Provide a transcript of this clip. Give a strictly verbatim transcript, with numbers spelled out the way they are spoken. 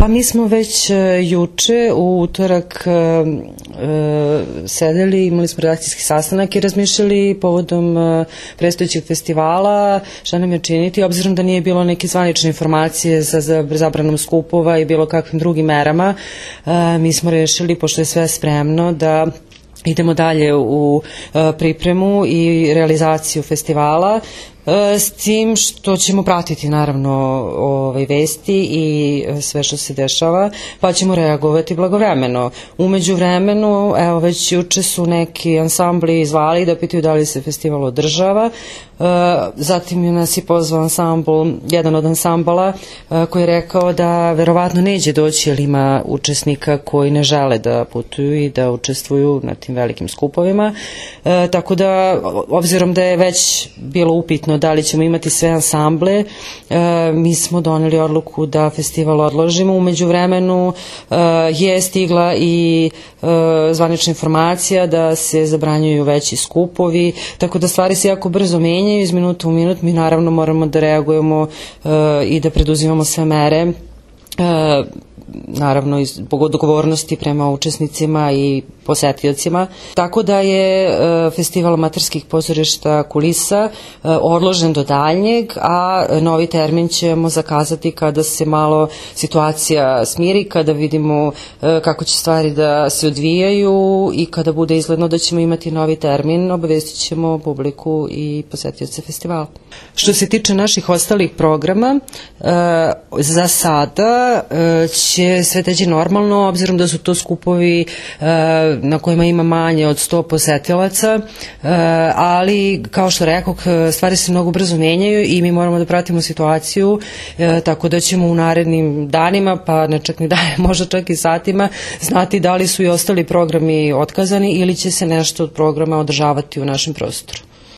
Pa mi smo već juče u utorak sedeli, imali smo redakcijski sastanak i razmišljali povodom predstojećeg festivala šta nam je činiti, obzirom da nije bilo neke zvanične informacije za zabranom skupova i bilo kakvim drugim merama. Mi smo rešili, pošto je sve spremno, da idemo dalje u pripremu i realizaciju festivala, s tim što ćemo pratiti naravno ovaj vesti i sve što se dešava, pa ćemo reagovati blagovremeno. Umeđu vremenu, evo već juče su neki ansambli zvali da pitaju da li se festival održava, zatim je nas i pozvao ansambl, jedan od ansambala koji je rekao da verovatno neće doći jer ima učesnika koji ne žele da putuju i da učestvuju na tim velikim skupovima, tako da obzirom da je već bilo upitno da li ćemo imati sve ansamble, mi smo doneli odluku da festival odložimo. Umeđu vremenu je stigla i zvanična informacija da se zabranjuju veći skupovi, tako da stvari se jako brzo menjaju iz minuta u minut. Mi naravno moramo da reagujemo i da preduzimamo sve mere, naravno zbog odgovornosti prema učesnicima i posetiocima. Tako da je festival amaterskih pozorišta Kulisa odložen do daljnjeg, a novi termin ćemo zakazati kada se malo situacija smiri, kada vidimo kako će stvari da se odvijaju i kada bude izgledno da ćemo imati novi termin, obavestit ćemo publiku i posetioce festivala. Što se tiče naših ostalih programa, za sada će sve teći normalno, obzirom da su to skupovi na kojima ima manje od sto posetilaca, ali kao što rekoh, stvari se mnogo brzo menjaju i mi moramo da pratimo situaciju, tako da ćemo u narednim danima, pa ne čak ni dane, možda čak i satima, znati da li su i ostali programi otkazani ili će se nešto od programa održavati u našem prostoru.